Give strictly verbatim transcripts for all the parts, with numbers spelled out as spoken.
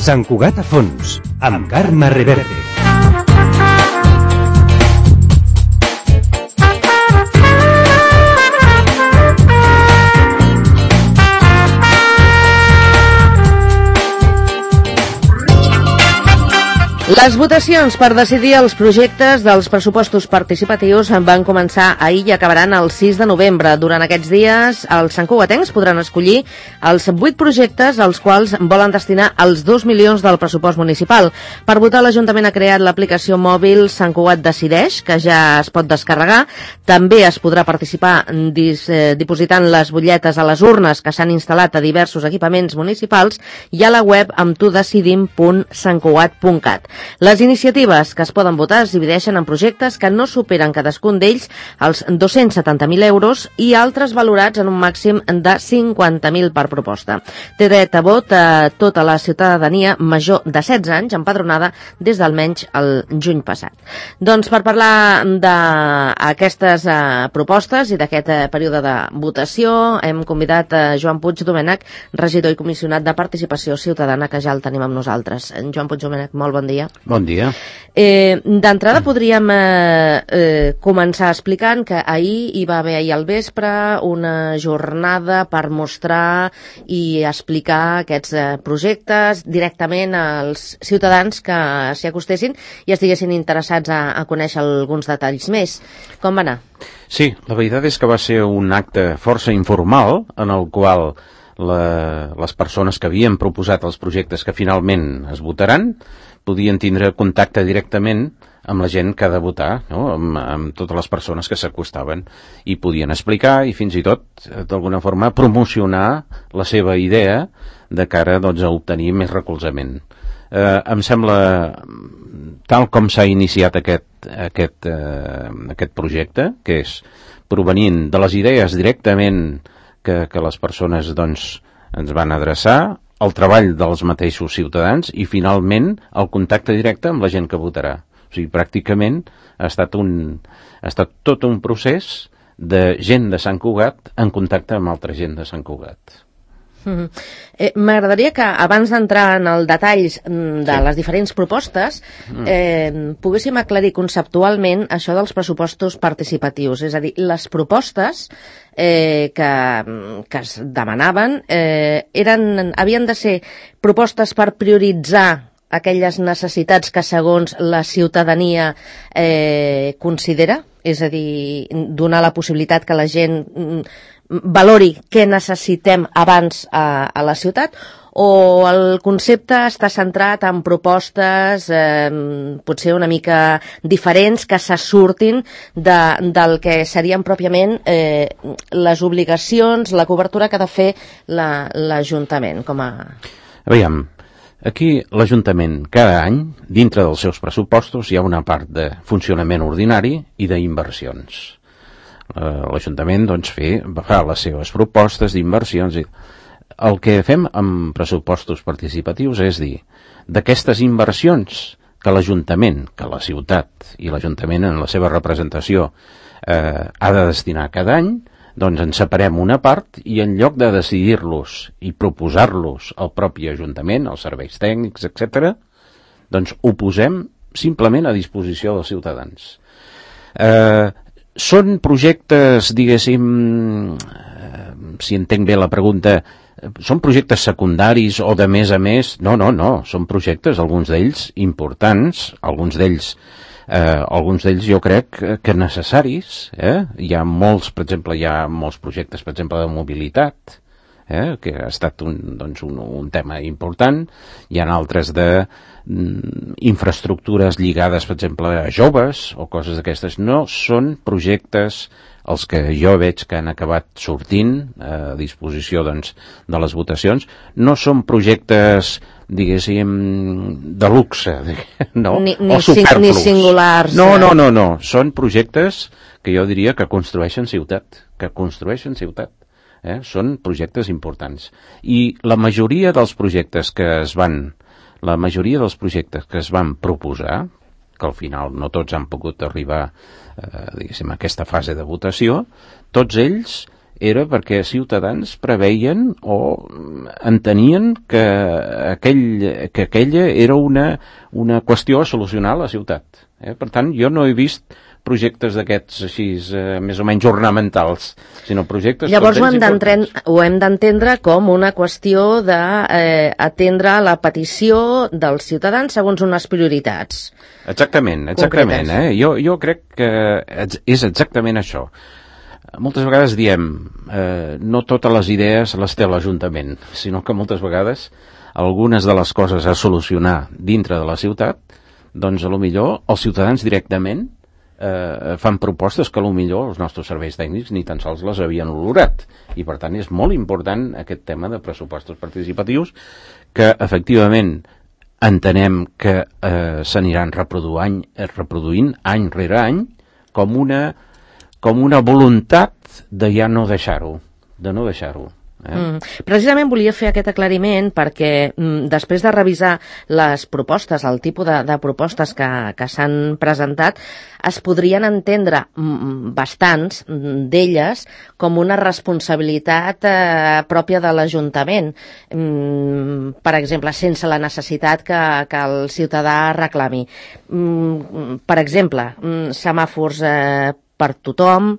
Sant Cugat a fons, amb Carme Reverte. Les votacions per decidir els projectes dels pressupostos participatius van començar ahir i acabaran el sis de novembre. Durant aquests dies, els santcugatencs podran escollir els vuit projectes als quals volen destinar els dos milions del pressupost municipal. Per votar, l'Ajuntament ha creat l'aplicació mòbil Sant Cugat Decideix, que ja es pot descarregar. També es podrà participar dis, eh, dipositant les butlletes a les urnes que s'han instal·lat a diversos equipaments municipals i a la web amb tu decidim punt sant cugat punt cat. Les iniciatives que es poden votar es divideixen en projectes que no superen cadascun d'ells els dos-cents setanta mil euros i altres valorats en un màxim de cinquanta mil per proposta. Té dret a vot a tota la ciutadania major de setze anys empadronada des d'almenys el juny passat. Doncs per parlar d'aquestes uh, propostes i d'aquest uh, període de votació hem convidat a Joan Puig Domènech, regidor i comissionat de Participació Ciutadana, que ja el tenim amb nosaltres. Joan Puig Domènech, molt bon dia. Bon dia. Eh, D'entrada podríem eh, eh, començar explicant que ahir hi va haver ahir al vespre una jornada per mostrar i explicar aquests eh, projectes directament als ciutadans que s'hi acostessin i estiguessin interessats a, a conèixer alguns detalls més. Com va anar? Sí, la veritat és que va ser un acte força informal en el qual la, les persones que havien proposat els projectes que finalment es votaran podien tindre contacte directament amb la gent que ha de votar, no? amb, amb totes les persones que s'acostaven i podien explicar i fins i tot, d'alguna forma, promocionar la seva idea de cara doncs, a obtenir més recolzament. Eh, em sembla, tal com s'ha iniciat aquest, aquest, eh, aquest projecte, que és provenint de les idees directament que, que les persones doncs, ens van adreçar, el treball dels mateixos ciutadans i, finalment, el contacte directe amb la gent que votarà. O sigui, pràcticament ha estat, un, ha estat tot un procés de gent de Sant Cugat en contacte amb altra gent de Sant Cugat. Mm-hmm. eh, M'agradaria que, abans d'entrar en els detalls de sí. les diferents propostes, eh, poguéssim aclarir conceptualment això dels pressupostos participatius. És a dir, les propostes eh, que, que es demanaven eh, eren, havien de ser propostes per prioritzar aquelles necessitats que segons la ciutadania eh, considera, és a dir, donar la possibilitat que la gent valori què necessitem abans a, a la ciutat, o el concepte està centrat en propostes eh, potser una mica diferents que se surtin de, del que serien pròpiament eh, les obligacions, la cobertura que ha de fer l'Ajuntament com a... Aviam, aquí l'Ajuntament cada any, dintre dels seus pressupostos, hi ha una part de funcionament ordinari i d'inversions. L'Ajuntament doncs, fe, fa les seves propostes d'inversions. El que fem amb pressupostos participatius és dir, d'aquestes inversions que l'Ajuntament, que la ciutat i l'Ajuntament en la seva representació eh, ha de destinar cada any, doncs en separem una part i en lloc de decidir-los i proposar-los al propi Ajuntament, als serveis tècnics, etcètera, doncs ho posem simplement a disposició dels ciutadans. Eh, Són projectes, diguéssim, eh, si entenc bé la pregunta, són projectes secundaris o de més a més? No, no, no, són projectes, alguns d'ells importants, alguns d'ells, eh, alguns d'ells jo crec que necessaris. Eh? Hi ha molts, per exemple, hi ha molts projectes, per exemple, de mobilitat, eh? que ha estat un, doncs un, un tema important. Hi ha altres de infraestructures lligades, per exemple, a joves o coses d'aquestes. No són projectes els que jo veig que han acabat sortint a disposició doncs, de les votacions. No són projectes, diguéssim, de luxe, no? Ni, ni, o superflus. Ni singulars. No, no, no, no. Són projectes que jo diria que construeixen ciutat, que construeixen ciutat. Eh? Són projectes importants. I la majoria dels projectes que es van La majoria dels projectes que es van proposar, que al final no tots han pogut arribar eh, diguéssim, a aquesta fase de votació, tots ells era perquè Ciutadans preveien o entenien que, aquell, que aquella era una, una qüestió a solucionar a la ciutat. Eh? Per tant, jo no he vist projectes d'aquests així, eh, més o menys ornamentals, sinó projectes... Llavors ho hem ho hem d'entendre com una qüestió d'atendre eh, la petició dels ciutadans segons unes prioritats. Exactament, exactament. Eh? Jo, jo crec que és exactament això. Moltes vegades diem, eh, no totes les idees les té l'Ajuntament, sinó que moltes vegades algunes de les coses a solucionar dintre de la ciutat, doncs a lo millor els ciutadans directament eh, fan propostes que a lo millor els nostres serveis tècnics ni tan sols les havien olorat. I per tant és molt important aquest tema de pressupostos participatius que efectivament entenem que eh, s'aniran reproduint, reproduint any rere any com una, com una voluntat de ja no deixar-ho, de no deixar-ho. Eh? Mm. Precisament volia fer aquest aclariment perquè mm, després de revisar les propostes, el tipus de, de propostes que, que s'han presentat, es podrien entendre mm, bastants d'elles com una responsabilitat eh, pròpia de l'Ajuntament. Mm, per exemple, sense la necessitat que, que el ciutadà reclami. Mm, per exemple, mm, semàfors eh, per tothom,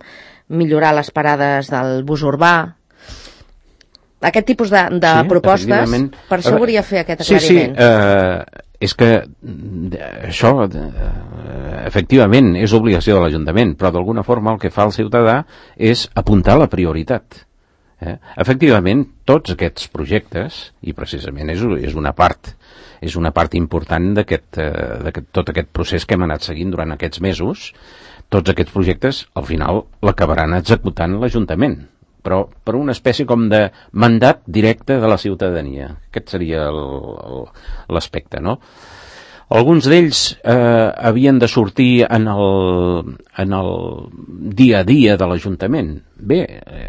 millorar les parades del bus urbà. Aquest tipus de, de sí, propostes, per això volia fer aquest aclariment. Sí, sí, eh, és que això, eh, efectivament, és obligació de l'Ajuntament, però d'alguna forma el que fa el ciutadà és apuntar la prioritat. Eh? Efectivament, tots aquests projectes, i precisament és, és una part, és una part important d'aquest, eh, tot aquest procés que hem anat seguint durant aquests mesos, tots aquests projectes, al final, l'acabaran executant l'Ajuntament, però per una espècie com de mandat directe de la ciutadania. Aquest seria l'aspecte, no? Alguns d'ells eh, havien de sortir en el, en el dia a dia de l'Ajuntament. Bé, eh,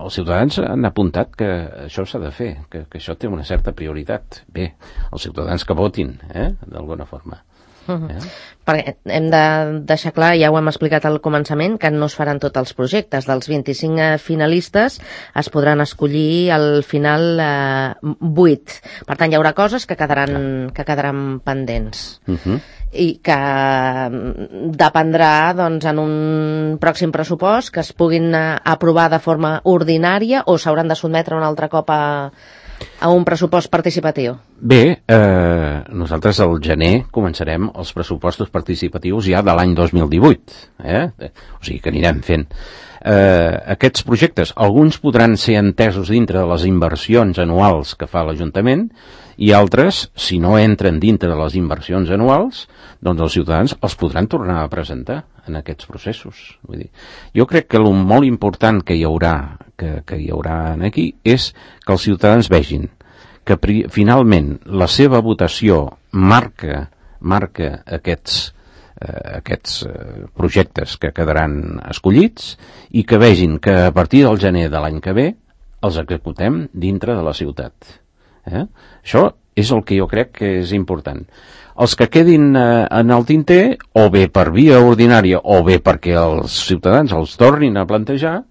els ciutadans han apuntat que això s'ha de fer, que, que això té una certa prioritat. Bé, els ciutadans que votin, eh, d'alguna forma. Uh-huh. Eh? Perquè hem de deixar clar, ja ho hem explicat al començament, que no es faran tots els projectes. Dels vint-i-cinc finalistes es podran escollir al final eh, vuit. Per tant, hi haurà coses que quedaran, que quedaran pendents. Uh-huh. I que dependrà doncs, en un pròxim pressupost que es puguin aprovar de forma ordinària o s'hauran de sotmetre un altre cop a a un pressupost participatiu? Bé, eh, nosaltres al gener començarem els pressupostos participatius ja de l'any dos mil divuit, eh? O sigui que anirem fent. Eh, aquests projectes, alguns podran ser entesos dintre de les inversions anuals que fa l'Ajuntament i altres, si no entren dintre de les inversions anuals, doncs els ciutadans els podran tornar a presentar en aquests processos. Vull dir, jo crec que el molt important que hi haurà, que, que hi haurà aquí és que els ciutadans vegin que pri, finalment la seva votació marca, marca aquests, eh, aquests eh, projectes que quedaran escollits i que vegin que a partir del gener de l'any que ve els executem dintre de la ciutat. Eh? Això és el que jo crec que és important. Els que quedin eh, en el tinter, o bé per via ordinària, o bé perquè els ciutadans els tornin a plantejar,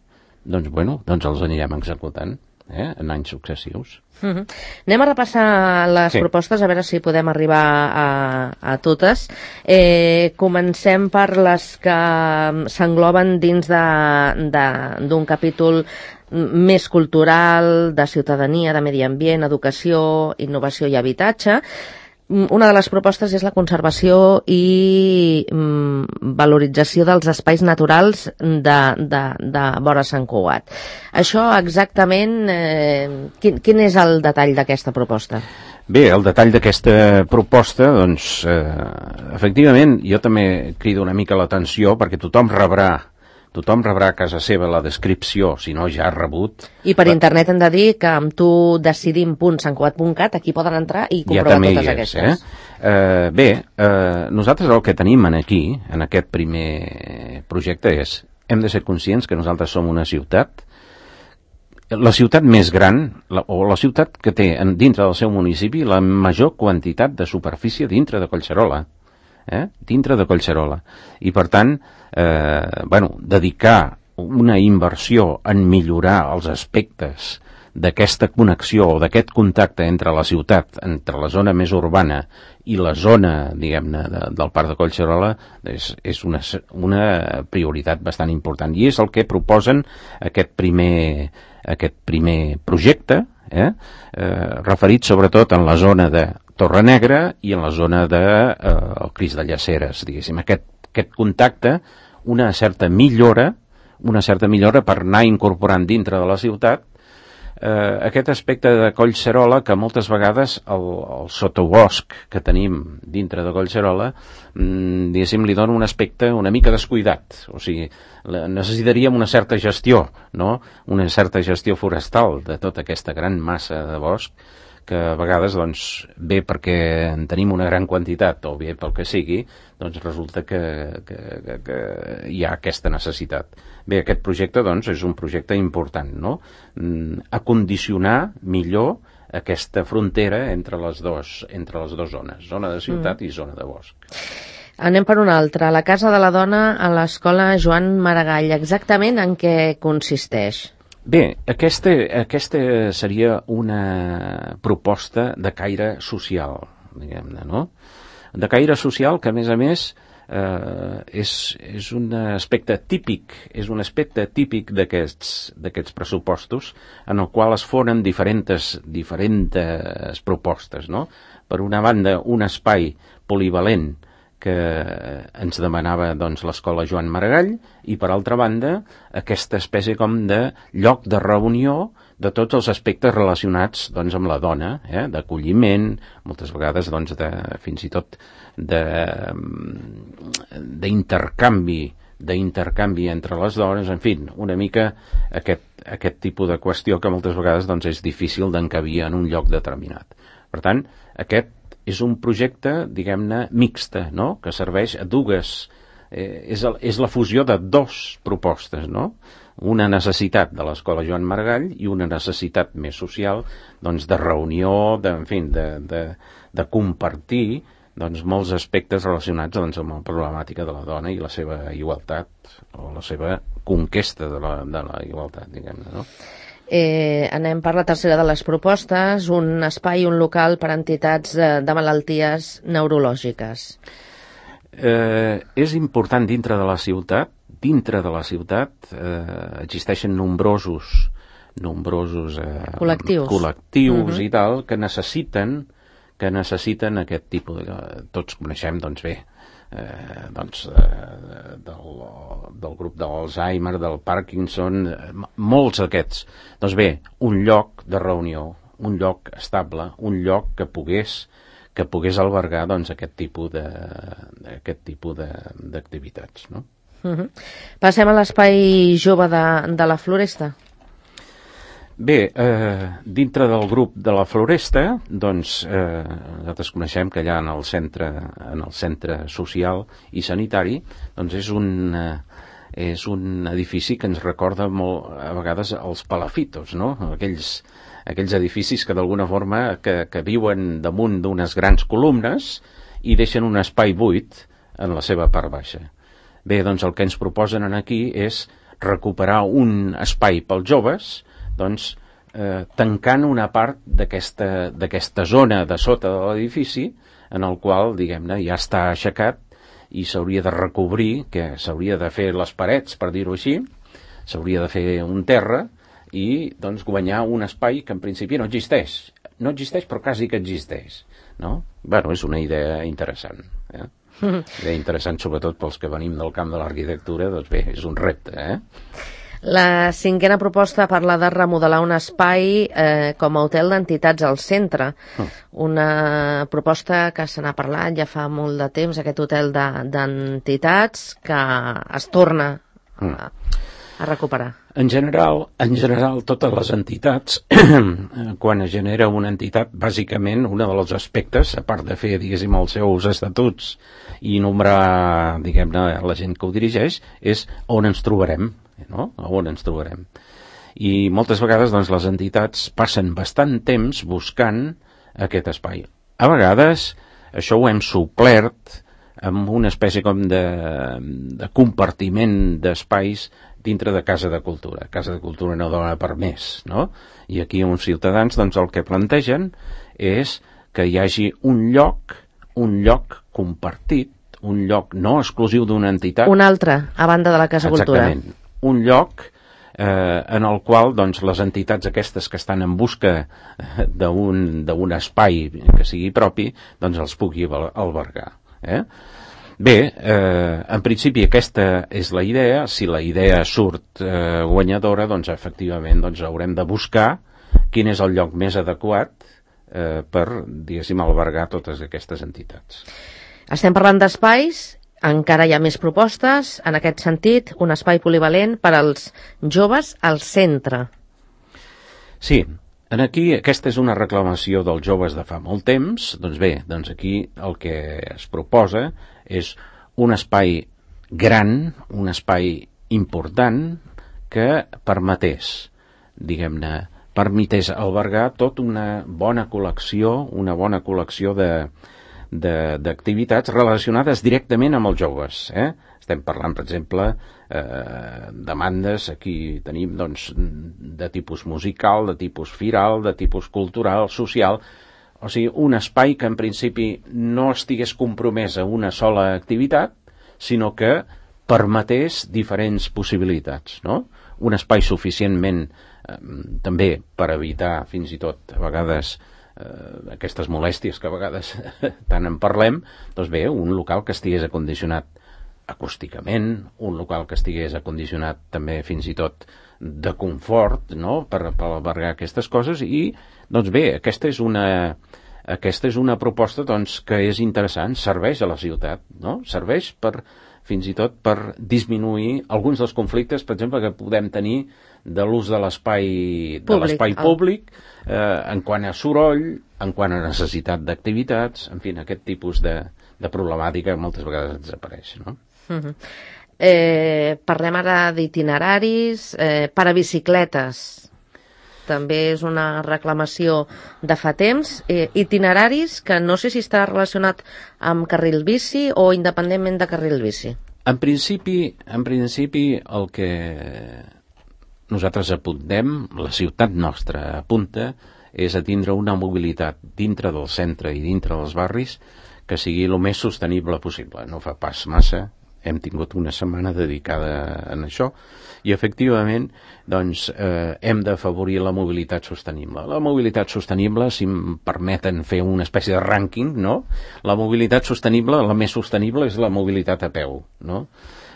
doncs, bueno, doncs els anirem executant eh, en anys successius. Uh-huh. Anem a repassar les sí. propostes, a veure si podem arribar a, a totes. Eh, comencem per les que s'engloben dins d'un capítol més cultural, de ciutadania, de medi ambient, educació, innovació i habitatge. Una de les propostes és la conservació i mm, valorització dels espais naturals de, de, de vora Sant Cugat. Això exactament, eh, quin, quin és el detall d'aquesta proposta? Bé, el detall d'aquesta proposta, doncs, eh, efectivament, jo també crido una mica l'atenció perquè tothom rebrà Tothom rebrà a casa seva la descripció, si no ja ha rebut. I per la... internet hem de dir que amb tu decidim punt sant cugat punt cat aquí poden entrar i comprovar ja totes és, aquestes. Eh? Uh, bé, uh, nosaltres el que tenim aquí, en aquest primer projecte, és hem de ser conscients que nosaltres som una ciutat, la ciutat més gran, la, o la ciutat que té en, dintre del seu municipi la major quantitat de superfície dintre de Collserola. Eh? dintre de Collserola. I per tant, eh, bueno, dedicar una inversió en millorar els aspectes d'aquesta connexió o d'aquest contacte entre la ciutat, entre la zona més urbana i la zona, diguem-ne, de, del Parc de Collserola, és, és una, una prioritat bastant important. I és el que proposen aquest primer, aquest primer projecte, eh? Eh, referit sobretot en la zona de Torrenegra i en la zona de eh, el Crist de Llaceres, diguéssim. Aquest, aquest contacte, una certa millora, una certa millora per anar incorporant dintre de la ciutat eh, aquest aspecte de Collserola, que moltes vegades el, el sotobosc que tenim dintre de Collserola, mmm, diguéssim, li dona un aspecte una mica descuidat. O sigui, necessitaríem una certa gestió, no? Una certa gestió forestal de tota aquesta gran massa de bosc, que a vegades, doncs, bé perquè en tenim una gran quantitat o bé pel que sigui, doncs resulta que, que, que, que hi ha aquesta necessitat. Bé, aquest projecte, doncs, és un projecte important, no? Mm, acondicionar millor aquesta frontera entre les dos, entre les dues zones, zona de ciutat mm. i zona de bosc. Anem per una altra. La Casa de la Dona a l'Escola Joan Maragall. Exactament en què consisteix? Bé, aquesta, aquesta seria una proposta de caire social, diguem-ne, no? De caire social que, a més a més, eh, és, és un aspecte típic, és un aspecte típic d'aquests d'aquests pressupostos en el qual es foren diferents, diferents propostes, no? Per una banda, un espai polivalent que ens demanava, doncs, l'Escola Joan Maragall, i per altra banda aquesta espècie com de lloc de reunió de tots els aspectes relacionats, doncs, amb la dona, eh? D'acolliment, moltes vegades, doncs, de, fins i tot de, d'intercanvi d'intercanvi entre les dones, en fi, una mica aquest, aquest tipus de qüestió que moltes vegades, doncs, és difícil d'encabir en un lloc determinat. Per tant, aquest és un projecte, diguem-ne, mixta, no? Que serveix a dues, eh, és, el, és la fusió de dos propostes, no? Una necessitat de l'Escola Joan Maragall i una necessitat més social, doncs, de reunió, de, en fi, de, de, de compartir, doncs, molts aspectes relacionats, doncs, amb la problemàtica de la dona i la seva igualtat, o la seva conquesta de la, de la igualtat, diguem-ne, no? Eh, anem per la tercera de les propostes, un espai, un local per a entitats de, de malalties neurològiques. Eh, és important dintre de la ciutat, dintre de la ciutat eh, existeixen nombrosos, nombrosos eh, col·lectius, col·lectius uh-huh. i tal, que necessiten, que necessiten aquest tipus de... Tots coneixem, doncs bé, Eh, doncs, eh, del, del grup de l'Alzheimer, del Parkinson, eh, molts d'aquests. Doncs bé, un lloc de reunió, un lloc estable, un lloc que pogués, que pogués albergar, doncs, aquest tipus de, aquest tipus de, d'activitats, no? Uh-huh. Passem a l'espai jove de, de la Floresta. Bé, eh, dintre del grup de la Floresta, doncs, eh, nosaltres coneixem que allà en el centre, en el centre social i sanitari, doncs és un, eh, és un edifici que ens recorda molt, a vegades, els palafitos, no? Aquells, aquells edificis que d'alguna forma que, que viuen damunt d'unes grans columnes i deixen un espai buit en la seva part baixa. Bé, doncs el que ens proposen aquí és recuperar un espai pels joves, doncs, eh, tancant una part d'aquesta, d'aquesta zona de sota de l'edifici, en el qual, diguem-ne, ja està aixecat i s'hauria de recobrir, que s'hauria de fer les parets, per dir-ho així, s'hauria de fer un terra i, doncs, guanyar un espai que en principi no existeix. No existeix, però quasi que existeix, no? Bueno, és una idea interessant, eh? Idea interessant, sobretot pels que venim del camp de l'arquitectura, doncs bé, és un repte, eh? La cinquena proposta parla de remodelar un espai eh, com a hotel d'entitats al centre. Oh. Una proposta que se n'ha parlat ja fa molt de temps, aquest hotel de, d'entitats que es torna a, a recuperar. En general, en general, totes les entitats, quan es genera una entitat, bàsicament, un dels aspectes, a part de fer, diguéssim, els seus estatuts i nombrar, diguem-ne, la gent que ho dirigeix, és on ens trobarem, no? On ens trobarem. I moltes vegades, doncs, les entitats passen bastant temps buscant aquest espai. A vegades, això ho hem suplert amb una espècie com de, de compartiment d'espais dintre de Casa de Cultura. Casa de Cultura no dona per més, no? I aquí uns ciutadans doncs, el que plantegen és que hi hagi un lloc, un lloc compartit, un lloc no exclusiu d'una entitat. Un altre, a banda de la Casa de Cultura. Exactament. Un lloc eh, en el qual doncs, les entitats aquestes que estan en busca d'un d'un espai que sigui propi, doncs els pugui albergar. Eh? Bé, eh, en principi aquesta és la idea. Si la idea surt eh, guanyadora, doncs efectivament doncs, haurem de buscar quin és el lloc més adequat eh, per, diguéssim, albergar totes aquestes entitats. Estem parlant d'espais, encara hi ha més propostes, en aquest sentit, un espai polivalent per als joves al centre. Sí, en aquí aquesta és una reclamació dels joves de fa molt temps. Doncs bé, doncs aquí el que es proposa és un espai gran, un espai important que permetés, diguem-ne, permetés albergar tota una bona col·lecció, una bona col·lecció de d'activitats relacionades directament amb els joves. Eh? Estem parlant, per exemple, eh, demandes, aquí tenim doncs, de tipus musical, de tipus firal, de tipus cultural, social, o sigui, un espai que en principi no estigués compromès a una sola activitat, sinó que permetés diferents possibilitats, no? Un espai suficientment eh, també per evitar fins i tot a vegades eh, aquestes molèsties que a vegades tant en parlem, doncs bé, un local que estigués acondicionat acústicament, un local que estigués acondicionat també fins i tot de confort, no?, per, per albergar aquestes coses. I doncs bé, aquesta és una aquesta és una proposta doncs, que és interessant, serveix a la ciutat, no? Serveix per, fins i tot per disminuir alguns dels conflictes, per exemple, que podem tenir de l'ús de l'espai de l'espai públic, eh, en quant a soroll, en quant a necessitat d'activitats, en fi, aquest tipus de, de problemàtica moltes vegades desapareix, no? Uh-huh. Eh, parlem ara d'itineraris, eh, per a bicicletes. També és una reclamació de fa temps. Eh, itineraris que no sé si està relacionat amb carril bici o independentment de carril bici. En principi, en principi el que nosaltres apuntem, la ciutat nostra apunta, és a tindre una mobilitat dintre del centre i dintre dels barris que sigui el més sostenible possible. No fa pas massa, hem tingut una setmana dedicada a això i efectivament doncs, eh, hem d'afavorir la mobilitat sostenible. La mobilitat sostenible, si em permeten fer una espècie de rànquing, no? La mobilitat sostenible, la més sostenible és la mobilitat a peu, no?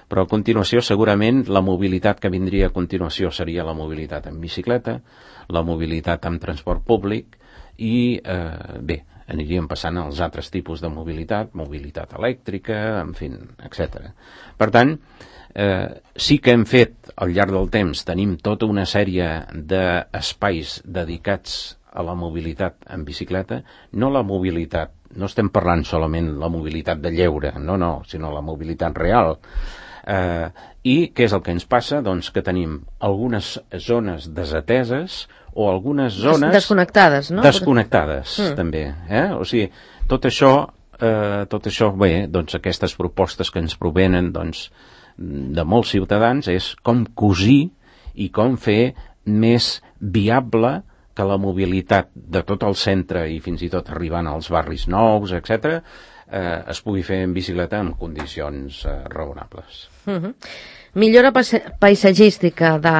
Però a continuació segurament la mobilitat que vindria a continuació seria la mobilitat en bicicleta, la mobilitat amb transport públic i eh, bé, aniríem passant als altres tipus de mobilitat, mobilitat elèctrica, en fi, etcètera. Per tant, eh, sí que hem fet al llarg del temps, tenim tota una sèrie d'espais dedicats a la mobilitat en bicicleta, no la mobilitat, no estem parlant solament la mobilitat de lleure, no, no, sinó la mobilitat real. Eh, I què és el que ens passa? Doncs que tenim algunes zones desateses o algunes zones... Desconnectades, no? Desconnectades, mm. també. Eh? O sigui, tot això, eh, tot això, bé, doncs aquestes propostes que ens provenen doncs, de molts ciutadans és com cosir i com fer més viable que la mobilitat de tot el centre i fins i tot arribant als barris nous, etcètera, eh, es pugui fer en bicicleta en condicions eh, raonables. Uh-huh. Millora paisatgística de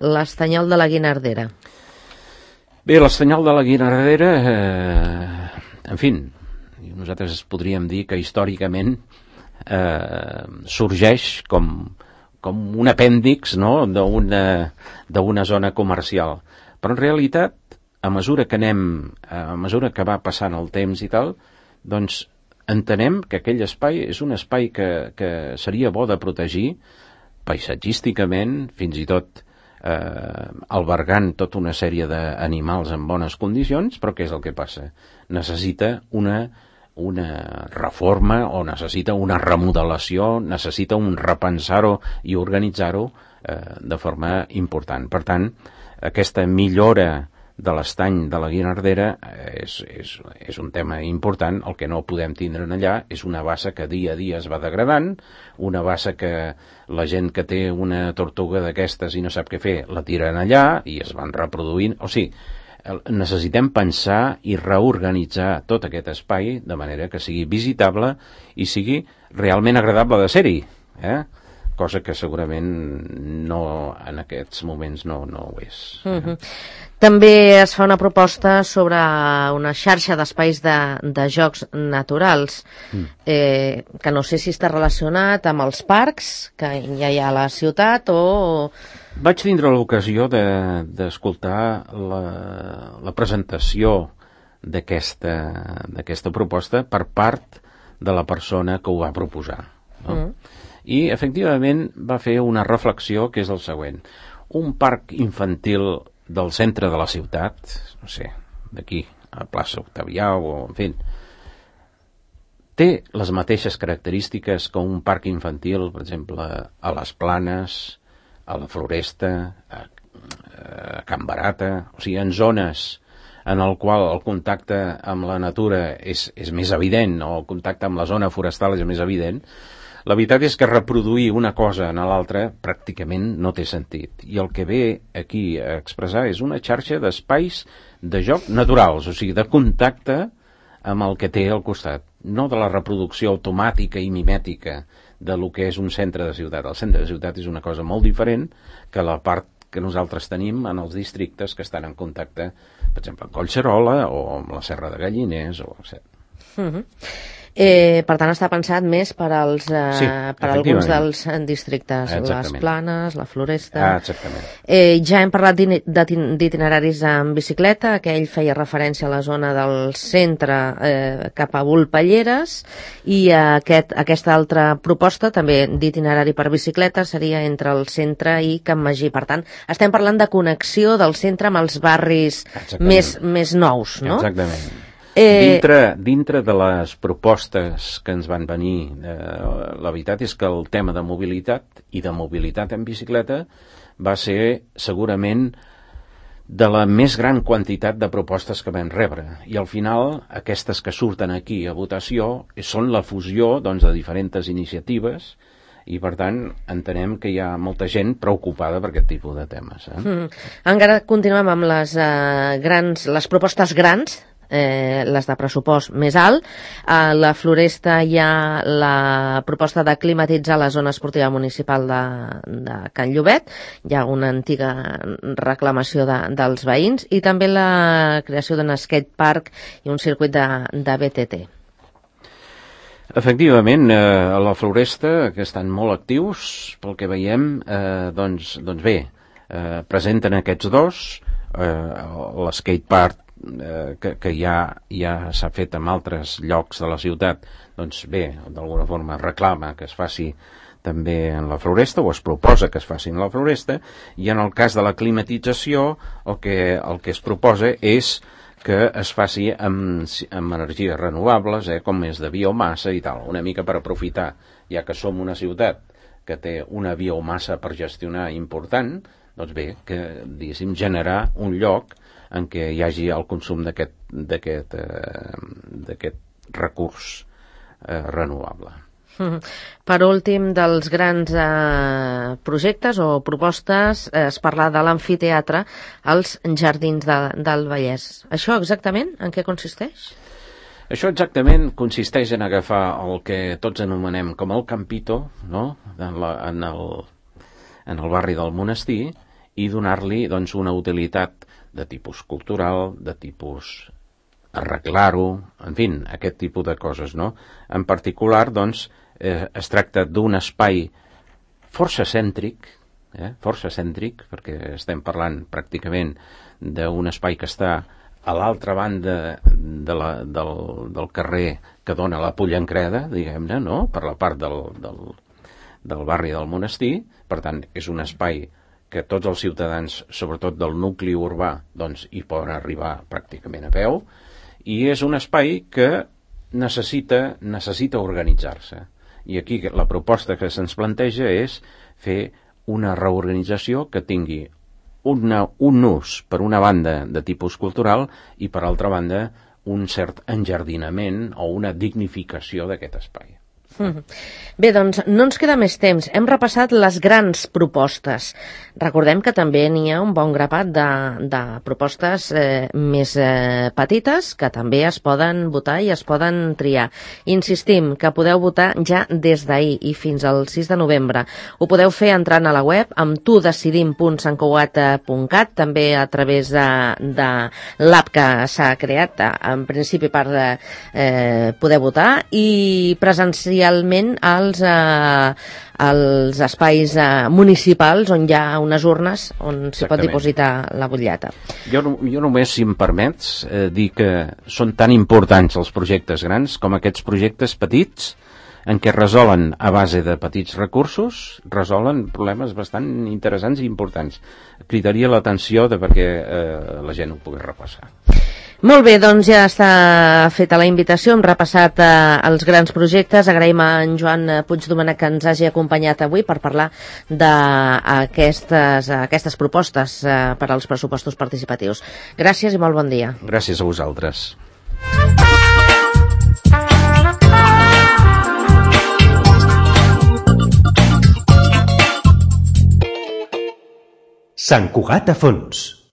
l'Estanyol de la Guinardera. Bé, l'Estanyol de la Guinardera, eh, en fi, nosaltres podríem dir que històricament eh, sorgeix com, com un apèndix, no?, d'una, d'una zona comercial. Però en realitat, a mesura que anem, a mesura que va passant el temps i tal, doncs entenem que aquell espai és un espai que, que seria bo de protegir paisatgísticament, fins i tot eh, albergant tota una sèrie d'animals en bones condicions, però què és el que passa? Necessita una, una reforma o necessita una remodelació, necessita un repensar-ho i organitzar-ho eh, de forma important. Per tant, aquesta millora de l'estany de la Guinardera és, és, és un tema important. El que no podem tindre allà és una bassa que dia a dia es va degradant, una bassa que la gent que té una tortuga d'aquestes i no sap què fer, la tiren allà i es van reproduint. O sigui, necessitem pensar i reorganitzar tot aquest espai de manera que sigui visitable i sigui realment agradable de ser-hi, eh? Cosa que segurament no, en aquests moments no, no ho és. Eh? Uh-huh. També es fa una proposta sobre una xarxa d'espais de, de jocs naturals, mm. eh, que no sé si està relacionat amb els parcs que ja hi ha a la ciutat o... Vaig tindre l'ocasió d'escoltar de, la, la presentació d'aquesta d'aquesta proposta per part de la persona que ho va proposar. No? Mm. I, efectivament, va fer una reflexió que és el següent. Un parc infantil del centre de la ciutat, no sé, d'aquí a plaça Octavià o, en fi, té les mateixes característiques que un parc infantil, per exemple, a les Planes, a la Floresta, a, a Can Barata, o sigui, en zones en el qual el contacte amb la natura és, és més evident, o el contacte amb la zona forestal és més evident. La veritat és que reproduir una cosa en l'altra pràcticament no té sentit. I el que ve aquí a expressar és una xarxa d'espais de joc naturals, o sigui, de contacte amb el que té al costat, no de la reproducció automàtica i mimètica de lo que és un centre de ciutat. El centre de ciutat és una cosa molt diferent que la part que nosaltres tenim en els districtes que estan en contacte, per exemple, amb Collserola o amb la Serra de Galliners, o etcètera. Uh-huh. Eh, per tant, està pensat més per, als, eh, sí, per alguns dels districtes, exactament. Les Planes, la Floresta... Ah, exactament. Eh, ja hem parlat d'itineraris en bicicleta, aquell feia referència a la zona del centre eh, cap a Volpelleres, i aquest, aquesta altra proposta, també d'itinerari per bicicleta, seria entre el centre i Can Magí. Per tant, estem parlant de connexió del centre amb els barris més, més nous, no? Exactament. Eh... Dintre, dintre de les propostes que ens van venir, eh, la veritat és que el tema de mobilitat i de mobilitat en bicicleta va ser segurament de la més gran quantitat de propostes que vam rebre. I al final, aquestes que surten aquí a votació són la fusió, doncs, de diferents iniciatives i, per tant, entenem que hi ha molta gent preocupada per aquest tipus de temes. Eh? Mm. Encara continuem amb les, uh, grans, les propostes grans, Eh, les de pressupost més alt. A la Floresta hi ha la proposta de climatitzar la zona esportiva municipal de, de Can Llobet. Hi ha una antiga reclamació de, dels veïns, i també la creació d'un skatepark i un circuit de, de B T T. Efectivament, eh, a la Floresta, que estan molt actius, pel que veiem, eh, doncs, doncs bé, eh, presenten aquests dos, eh, l'skatepark Eh, que, que ja, ja s'ha fet en altres llocs de la ciutat, doncs bé, d'alguna forma reclama que es faci també en la Floresta, o es proposa que es faci en la Floresta, i en el cas de la climatització el que, el que es proposa és que es faci amb, amb energies renovables, eh, com és de biomassa i tal, una mica per aprofitar, ja que som una ciutat que té una biomassa per gestionar important, doncs bé, que, diguéssim, generar un lloc en què hi hagi el consum d'aquest d'aquest eh, d'aquest recurs eh, renovable. Per últim, dels grans eh, projectes o propostes, eh, es parla de l'amfiteatre als Jardins de, del Vallès. Això exactament en què consisteix? Això exactament consisteix en agafar el que tots anomenem com el Campito, no? en, la, en, el, en el barri del Monestir, i donar-li, doncs, una utilitat de tipus cultural, de tipus arreglar-ho, en fi, aquest tipus de coses, no? En particular, doncs, eh, es tracta d'un espai força cèntric, eh, força cèntric, perquè estem parlant pràcticament d'un espai que està a l'altra banda de la, del, del carrer que dona la Pollancreda, diguem-ne, no?, per la part del, del, del barri del Monestir. Per tant, és un espai que tots els ciutadans, sobretot del nucli urbà, doncs hi poden arribar pràcticament a peu, i és un espai que necessita, necessita organitzar-se. I aquí la proposta que se'ns planteja és fer una reorganització que tingui una, un ús, per una banda, de tipus cultural i, per altra banda, un cert enjardinament o una dignificació d'aquest espai. Bé, doncs no ens queda més temps. Hem repassat les grans propostes. Recordem que també n'hi ha un bon grapat de, de propostes eh, més eh, petites que també es poden votar i es poden triar. Insistim que podeu votar ja des d'ahir i fins al sis de novembre. Ho podeu fer entrant a la web amb tu decidim punt sant cugat punt cat, també a través de, de l'app que s'ha creat en principi per eh, poder votar, i presencialment als, eh, als espais eh, municipals on hi ha unes urnes on s'hi pot dipositar la butlleta. Jo, jo només, si em permets, eh, dir que són tan importants els projectes grans com aquests projectes petits en què resolen a base de petits recursos, resolen problemes bastant interessants i importants. Cridaria l'atenció de perquè eh, la gent ho pugui repassar. Molt bé, doncs ja està feta la invitació, hem repassat eh, els grans projectes. Agraïm a en Joan Puigdomènech que ens hagi acompanyat avui per parlar d'aquestes aquestes propostes eh, per als pressupostos participatius. Gràcies i molt bon dia. Gràcies a vosaltres. Sant Cugat a fons.